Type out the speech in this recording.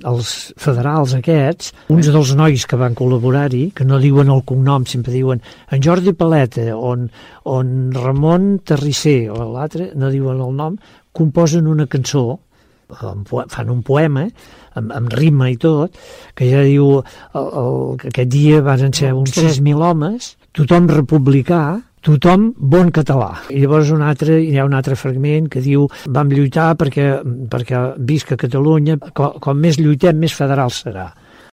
els federals aquests, uns dels nois que van col·laborar-hi, que no diuen el cognom, sempre diuen en Jordi Paleta, on Ramon Terrisser, o l'altre, no diuen el nom, composen una cançó, fan un poema, amb rima i tot, que ja diu, aquest dia van ser uns 3.000 homes, tothom republicà, tothom bon català. I llavors hi ha un altre fragment que diu vam lluitar perquè visca Catalunya, com més lluitem, més federal serà.